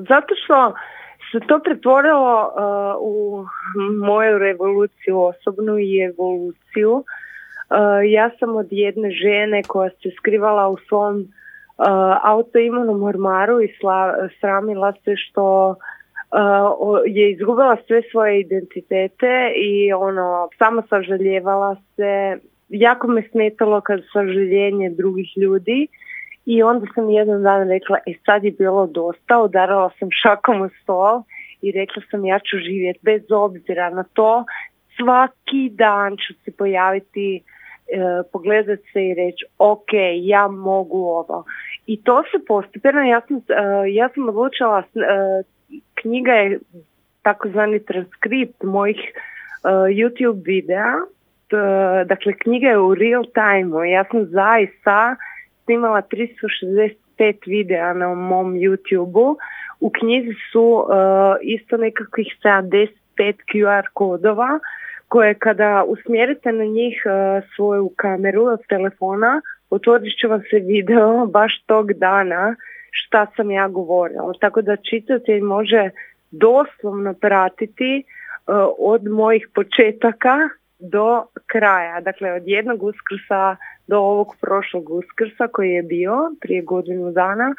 Zato što se to pretvorilo u moju revoluciju osobnu i evoluciju. Ja sam od jedne žene koja se skrivala u svom autoimunom ormaru i sramila se što je izgubila sve svoje identitete i samo sažaljevala se. Jako me smetalo kad sažaljenje drugih ljudi i onda sam jedan dan rekla, sad je bilo dosta, udarala sam šakom u stol i rekla sam ja ću živjeti bez obzira na to, svaki dan ću se pojaviti, pogledati se i reći ok, ja mogu ovo. I to se postepeno, ja sam odlučila, knjiga je takozvani transkript mojih YouTube videa, dakle knjiga je u real time, ja sam zaista snimala 365 videa na mom YouTube-u, u knjizi su isto nekakvih 75 QR kodova koje kada usmjerite na njih svoju kameru od telefona, otvorit će vam se video baš tog dana šta sam ja govorila. Tako da čitatelj može doslovno pratiti od mojih početaka do kraja. Dakle, od jednog Uskrsa do ovog prošlog Uskrsa koji je bio prije godinu dana